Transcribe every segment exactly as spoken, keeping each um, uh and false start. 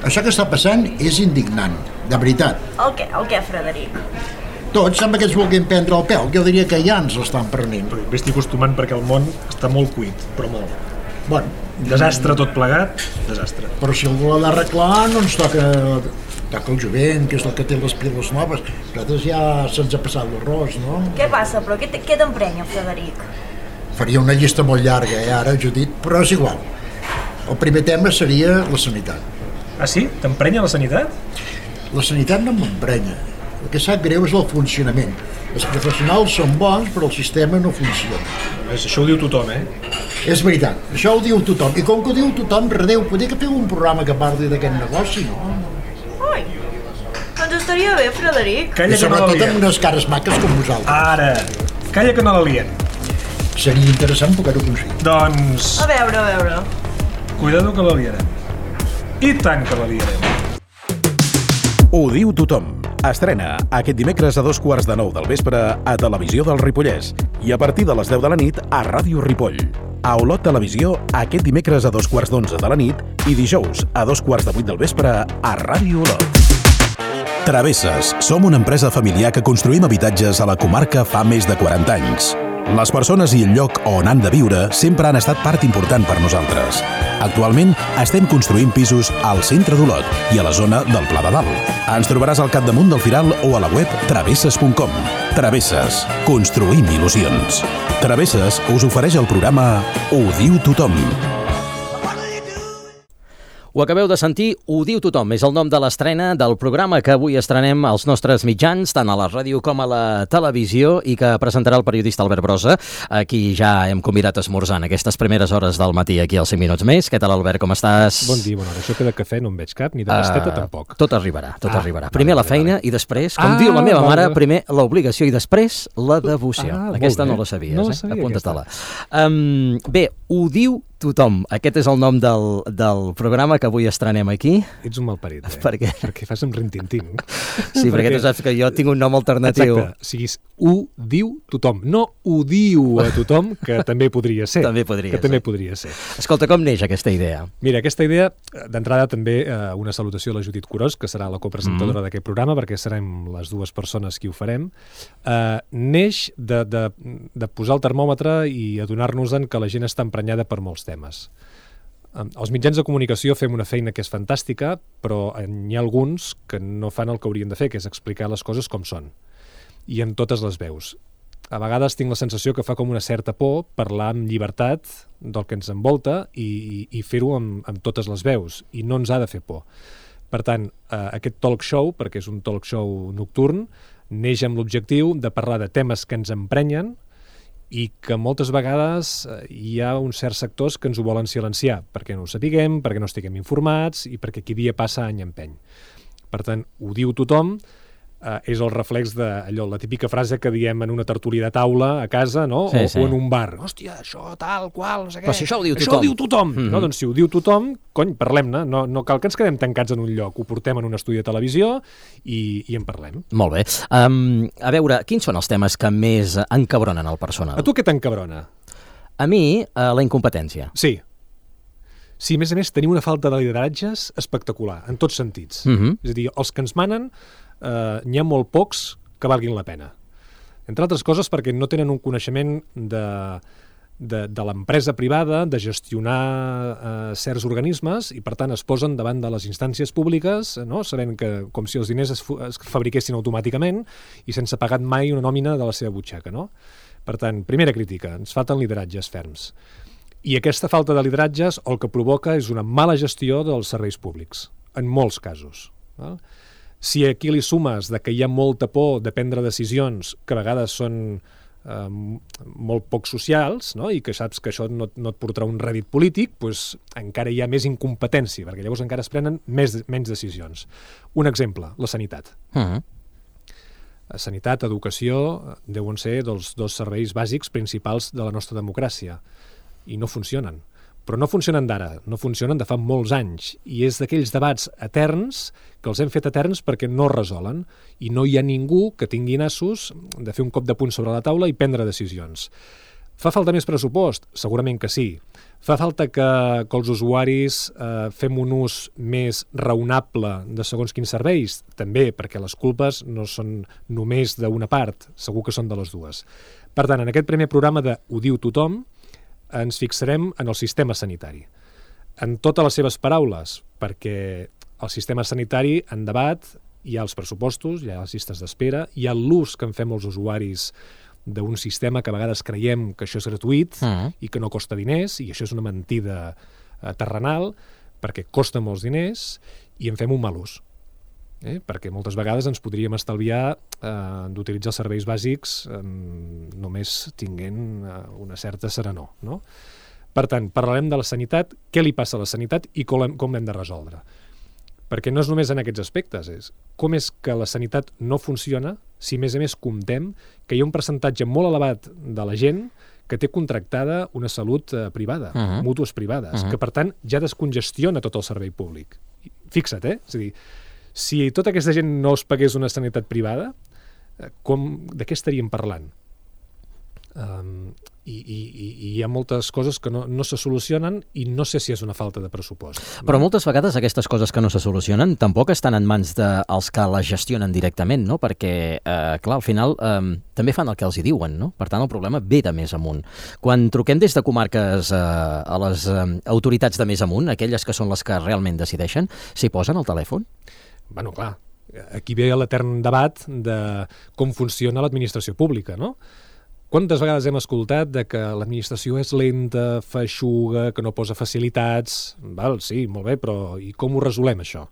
això que està passant és indignant, de veritat. El què, el què, Frederic? Tots sembla que ens vulguin prendre el pèl, jo diria que ja ens l'estan prenent. Però m'estic acostumant perquè el món està molt cuit, però molt. Bueno, desastre tot plegat, desastre. Però si algú l'ha d'arreglar, no ens toca, toca el jovent, que és el que té les piles noves. Nosaltres ja se'ns ha passat l'arròs, no? Què passa, però? Què, què t'emprenya, Frederic? Faria una llista molt llarga, eh, ara, Judit, però és igual. El primer tema seria la sanitat. Ah, sí? T'emprenya la sanitat? La sanitat no m'emprenya. El que sap greu és el funcionament. Els professionals són bons, però el sistema no funciona. Això ho diu tothom, eh? És veritat, això ho diu tothom. I com que ho diu tothom, redeu, podria que feu un programa que parli d'aquest negoci, no? Ai, doncs estaria bé, Frederic. Calla I que no la sobretot liem. amb unes cares maques com vosaltres. Ara, calla que no la liem. Seria interessant poder-ho aconseguir. Doncs, A veure, a veure. cuidado que la liarem. I tant que la liarem. Ho diu tothom. Estrena aquest dimecres a dos quarts de nou del vespre a Televisió del Ripollès i a partir de les deu de la nit a Ràdio Ripoll. A Olot Televisió aquest dimecres a dos quarts d'onze de la nit i dijous a dos quarts de vuit del vespre a Ràdio Olot. Travesses. Som una empresa familiar que construïm habitatges a la comarca fa més de quaranta anys. Les persones i el lloc on han de viure sempre han estat part important per nosaltres. Actualment estem construint pisos al centre d'Olot i a la zona del Pla de Dalt. Ens trobaràs al capdamunt del Firal o a la web travesses punt com. Travesses. Construïm il·lusions. Travesses us ofereix el programa Ho diu tothom. Ho acabeu de sentir, Ho diu tothom. És el nom de l'estrena del programa que avui estrenem als nostres mitjans, tant a la ràdio com a la televisió, i que presentarà el periodista Albert Brossa, a qui ja hem convidat a esmorzar en aquestes primeres hores del matí aquí als cinc minuts més. Què tal, Albert, com estàs? Bon dia, bona hora. Això que de cafè no en veig cap, ni de pasteta uh, tampoc. Tot arribarà, tot ah, arribarà. Primer vale, la feina vale. i després, com ah, diu la meva vale. mare, primer l'obligació i després la devoció. Ah, aquesta no la sabies, no eh? sabia Apunta-te-la. Um, bé, Ho diu tothom. Aquest és el nom del, del programa que avui estrenem aquí. Ets un malparit, eh? Per què? Perquè fas un rintintín. Sí, perquè, perquè tu saps que jo tinc un nom alternatiu. Exacte, o sigui, ho diu tothom, no ho diu a tothom, que també podria ser. També podria que ser. també podria ser. Escolta, com neix aquesta idea? Mira, aquesta idea, d'entrada també eh, una salutació a la Judit Curós, que serà la copresentadora mm. d'aquest programa, perquè serem les dues persones qui ho farem. Eh, neix de, de, de posar el termòmetre i adonar-nos-en que la gent està emprenyada per molts temes. Els mitjans de comunicació fem una feina que és fantàstica, però n'hi ha alguns que no fan el que haurien de fer, que és explicar les coses com són, i en totes les veus. A vegades tinc la sensació que fa com una certa por parlar amb llibertat del que ens envolta i, i, i fer-ho amb, amb totes les veus, i no ens ha de fer por. Per tant, eh, aquest talk show, perquè és un talk show nocturn, neix amb l'objectiu de parlar de temes que ens emprenyen i que moltes vegades hi ha uns certs sectors que ens ho volen silenciar, perquè no ho sapiguem, perquè no estiguem informats i perquè aquí dia passa any empeny. Per tant, ho diu tothom, eh, és el reflex de allò, la típica frase que diem en una tertúlia de taula a casa, no? Sí, o, sí. o en un bar. Hòstia, això tal, qual, no sé què. Però si això ho diu això tothom. ho diu tothom. Mm-hmm. No? Doncs si ho diu tothom, cony, parlem-ne. No, no cal que ens quedem tancats en un lloc. Ho portem en un estudi de televisió i, i en parlem. Molt bé. Um, a veure, quins són els temes que més encabronen el personal? A tu què t'encabrona? A mi, uh, la incompetència. Sí. Sí, a més a més, tenim una falta de lideratges espectacular, en tots sentits. Mm-hmm. És a dir, els que ens manen, eh, n'hi ha molt pocs que valguin la pena. Entre altres coses perquè no tenen un coneixement de, de, de l'empresa privada, de gestionar eh, certs organismes, i per tant es posen davant de les instàncies públiques, no? Sabent que com si els diners es, es fabriquessin automàticament i sense pagar mai una nòmina de la seva butxaca, no? Per tant, primera crítica, ens falten lideratges ferms. I aquesta falta de lideratges el que provoca és una mala gestió dels serveis públics, en molts casos. Val? Si aquí li sumes de que hi ha molta por de prendre decisions que a vegades són eh, molt poc socials, no? I que saps que això no, no et portarà un rèdit polític, doncs encara hi ha més incompetència, perquè llavors encara es prenen més, menys decisions. Un exemple, la sanitat. Uh-huh. Sanitat, educació, deuen ser dels dos serveis bàsics principals de la nostra democràcia. I no funcionen. Però no funcionen d'ara, no funcionen de fa molts anys. I és d'aquells debats eterns que els hem fet eterns perquè no resolen. I no hi ha ningú que tingui nassos de fer un cop de punt sobre la taula i prendre decisions. Fa falta més pressupost? Segurament que sí. Fa falta que, que els usuaris eh, fem un ús més raonable de segons quins serveis? També, perquè les culpes no són només d'una part, segur que són de les dues. Per tant, en aquest primer programa de Ho diu tothom, ens fixarem en el sistema sanitari. En totes les seves paraules, perquè el sistema sanitari, en debat, hi ha els pressupostos, hi ha les llistes d'espera, hi ha l'ús que en fem els usuaris d'un sistema que a vegades creiem que això és gratuït uh-huh. i que no costa diners, i això és una mentida eh, terrenal, perquè costa molts diners i en fem un mal ús. Eh? Perquè moltes vegades ens podríem estalviar eh, d'utilitzar els serveis bàsics eh, només tinguent eh, una certa serenor. No? Per tant, parlarem de la sanitat, què li passa a la sanitat i com, com l'hem de resoldre. Perquè no és només en aquests aspectes, és com és que la sanitat no funciona si a més a més comptem que hi ha un percentatge molt elevat de la gent que té contractada una salut eh, privada, uh-huh. mútues privades, uh-huh. que per tant ja descongestiona tot el servei públic. Fixa't, eh? És a dir, si tota aquesta gent no es pagués una sanitat privada, eh, com, de què estaríem parlant? Um, i, i, i hi ha moltes coses que no, no se solucionen i no sé si és una falta de pressupost. Però moltes vegades aquestes coses que no se solucionen tampoc estan en mans dels que les gestionen directament, no? Perquè, eh, clar, al final eh, també fan el que els hi diuen, no? Per tant, el problema ve de més amunt. Quan truquem des de comarques eh, a les eh, autoritats de més amunt, aquelles que són les que realment decideixen, s'hi posen al telèfon? Bueno, clar, aquí ve l'etern debat de com funciona l'administració pública, no? Quantes vegades hem escoltat de que l'administració és lenta, feixuga, que no posa facilitats? Val, sí, molt bé, però i com ho resolem, això?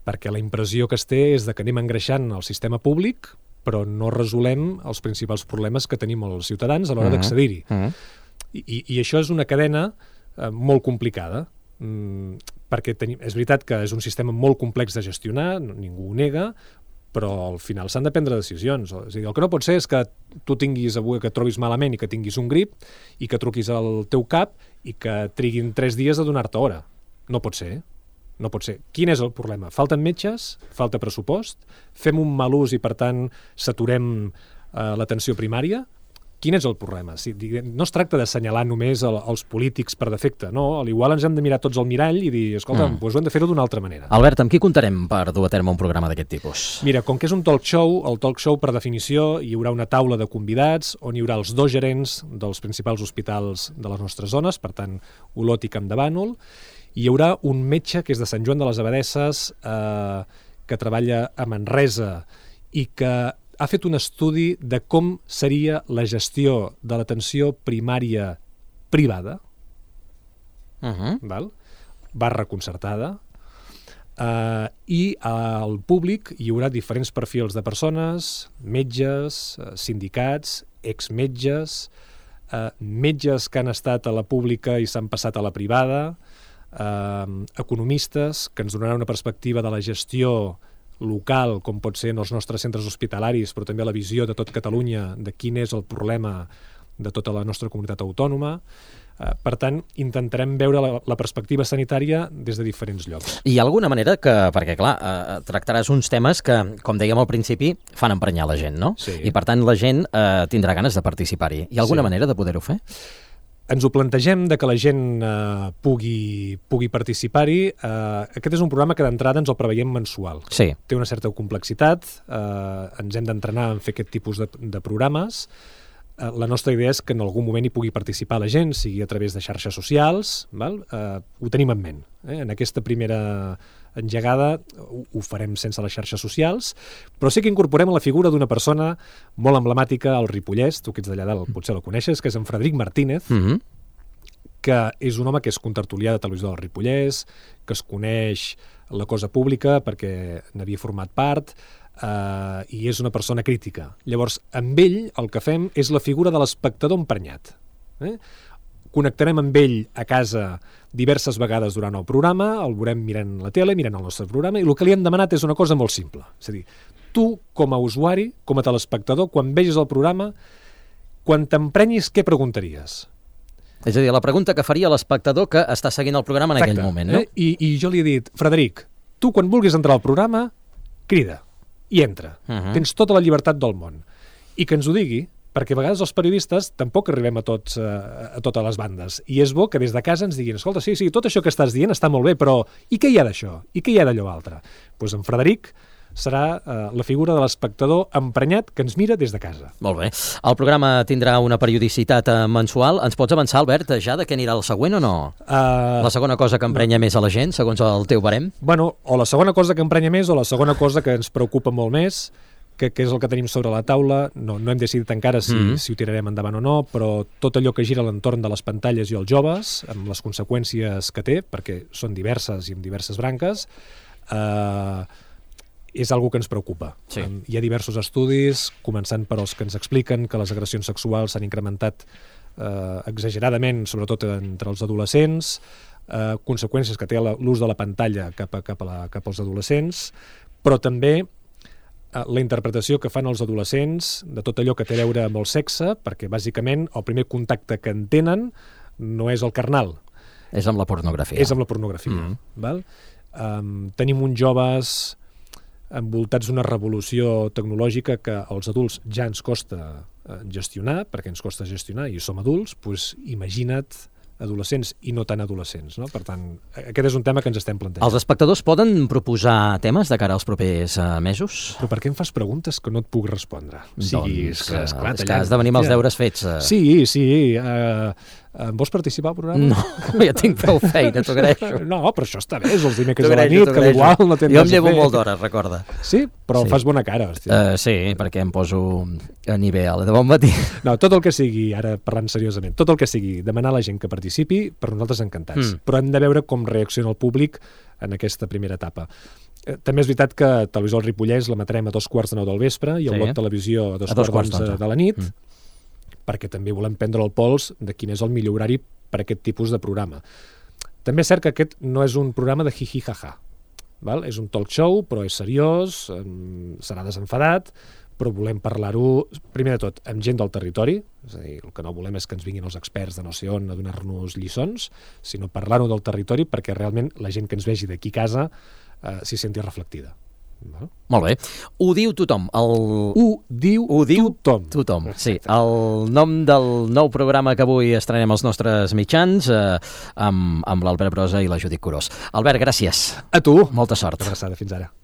Perquè la impressió que es té és de que anem engreixant el sistema públic, però no resolem els principals problemes que tenim els ciutadans a l'hora uh-huh. d'accedir-hi. Uh-huh. I, I això és una cadena eh, molt complicada, mm, perquè tenim, és veritat que és un sistema molt complex de gestionar, ningú ho nega, però al final s'han de prendre decisions. És a dir, el que no pot ser és que tu tinguis avui que et trobis malament i que tinguis un grip i que truquis al teu cap i que triguin tres dies a donar-te hora. No pot ser. No pot ser. Quin és el problema? Falten metges? Falta pressupost? Fem un mal ús i, per tant, saturem eh, l'atenció primària? Quin és el problema? Si, no es tracta d'assenyalar només el, els polítics per defecte, no? Al igual ens hem de mirar tots al mirall i dir, escolta, mm. doncs ho hem de fer-ho d'una altra manera. Albert, amb qui comptarem per dur a terme un programa d'aquest tipus? Mira, com que és un talk show, el talk show, per definició, hi haurà una taula de convidats on hi haurà els dos gerents dels principals hospitals de les nostres zones, per tant, Olot i Camp de Bànol. Hi haurà un metge que és de Sant Joan de les Abadesses, eh, que treballa a Manresa i que ha fet un estudi de com seria la gestió de l'atenció primària privada, uh-huh. val? barra concertada, uh, i al públic hi haurà diferents perfils de persones, metges, uh, sindicats, exmetges, uh, metges que han estat a la pública i s'han passat a la privada, uh, economistes que ens donaran una perspectiva de la gestió local, com pot ser en els nostres centres hospitalaris, però també la visió de tot Catalunya de quin és el problema de tota la nostra comunitat autònoma. Eh, per tant, intentarem veure la, la perspectiva sanitària des de diferents llocs. Hi ha alguna manera que, perquè clar, eh, tractaràs uns temes que, com dèiem al principi, fan emprenyar la gent, no? Sí. I per tant la gent eh, tindrà ganes de participar-hi. Hi ha alguna sí. manera de poder-ho fer? Ens ho plantegem de que la gent eh, pugui, pugui participar-hi. Eh, aquest és un programa que d'entrada ens el preveiem mensual. Sí. Té una certa complexitat, eh, ens hem d'entrenar en fer aquest tipus de, de programes. Eh, la nostra idea és que en algun moment hi pugui participar la gent, sigui a través de xarxes socials. Val? Eh, ho tenim en ment. Eh? En aquesta primera engegada ho, ho farem sense les xarxes socials, però sí que incorporem la figura d'una persona molt emblemàtica al Ripollès, tu que ets d'allà dalt potser la coneixes, que és en Frederic Martínez, mm-hmm. que és un home que és contertulià de Televisió del Ripollès, que es coneix la cosa pública perquè n'havia format part, eh, i és una persona crítica. Llavors, amb ell el que fem és la figura de l'espectador emprenyat. Eh? Connectarem amb ell a casa diverses vegades durant el programa, el veurem mirant la tele, mirant el nostre programa, i el que li hem demanat és una cosa molt simple. És a dir, tu, com a usuari, com a telespectador, quan vegis el programa, quan t'emprenyis, què preguntaries? És a dir, la pregunta que faria l'espectador que està seguint el programa en Exacte. Aquell moment, no? Eh? I, I jo li he dit, Frederic, tu quan vulguis entrar al programa, crida i entra. Uh-huh. Tens tota la llibertat del món. I que ens ho digui, perquè a vegades els periodistes tampoc arribem a, tots, a, a totes les bandes. I és bo que des de casa ens diguin, escolta, sí, sí, tot això que estàs dient està molt bé, però i què hi ha d'això? I què hi ha d'allò altre? Doncs pues en Frederic serà eh, la figura de l'espectador emprenyat que ens mira des de casa. Molt bé. El programa tindrà una periodicitat eh, mensual. Ens pots avançar, Albert, ja de què anirà el següent o no? Uh, la segona cosa que emprenya no. més a la gent, segons el teu barem? Bueno, o la segona cosa que emprenya més o la segona cosa que ens preocupa molt més, que, que és el que tenim sobre la taula. No, no hem decidit encara si, mm. si ho tirarem endavant o no, però tot allò que gira a l'entorn de les pantalles i els joves, amb les conseqüències que té, perquè són diverses i amb diverses branques, eh... Uh, és algo que ens preocupa. Sí. Hi ha diversos estudis, començant per els que ens expliquen que les agressions sexuals s'han incrementat eh, exageradament, sobretot entre els adolescents, eh, conseqüències que té l'ús de la pantalla cap, a, cap, a la, cap als adolescents, però també eh, la interpretació que fan els adolescents de tot allò que té a veure amb el sexe, perquè bàsicament el primer contacte que en tenen no és el carnal. És amb la pornografia. És amb la pornografia. Mm. Val? Um, tenim uns joves envoltats d'una revolució tecnològica que als adults ja ens costa gestionar, perquè ens costa gestionar i som adults, doncs imagina't adolescents i no tan adolescents, no? Per tant, aquest és un tema que ens estem plantejant. Els espectadors poden proposar temes de cara als propers uh, mesos? Però per què em fas preguntes que no et puc respondre? O sigui, doncs, és que, esclar, és que has de venir amb els deures fets. Uh... Sí, sí. Uh, uh, vols participar al programa? No, ja tinc prou feina, t'ho agraeixo. No, però això està bé, és els dimecres a la nit, que igual no tens jo em llevo molt d'hora, recorda. Sí? Però sí. Fas bona cara, hòstia. Uh, sí, perquè em poso a nivell de bon matí. No, tot el que sigui, ara parlant seriosament, tot el que sigui demanar a la gent que participi, per nosaltres encantats. Mm. Però hem de veure com reacciona el públic en aquesta primera etapa. Eh, també és veritat que Televisió del Ripollès l'emetrem a dos quarts de nou del vespre i el sí. Bloc Televisió a dos, a dos quarts d'onze de la nit, mm. perquè també volem prendre el pols de quin és el millor horari per a aquest tipus de programa. També és cert que aquest no és un programa de hi-hi-ha-ha. Val? És un talk show, però és seriós, serà desenfadat, però volem parlar-ho, primer de tot, amb gent del territori, és a dir, el que no volem és que ens vinguin els experts de no sé on a donar-nos lliçons, sinó parlar-ho del territori perquè realment la gent que ens vegi d'aquí a casa eh, s'hi senti reflectida. Val? Molt bé. Ho diu tothom. El... Ho diu, Ho diu tothom. tothom. Sí. El nom del nou programa que avui estrenem als nostres mitjans eh, amb, amb l'Albert Brossa i la Judit Curós. Albert, gràcies. A tu. Molta sort. Una abraçada. Fins ara.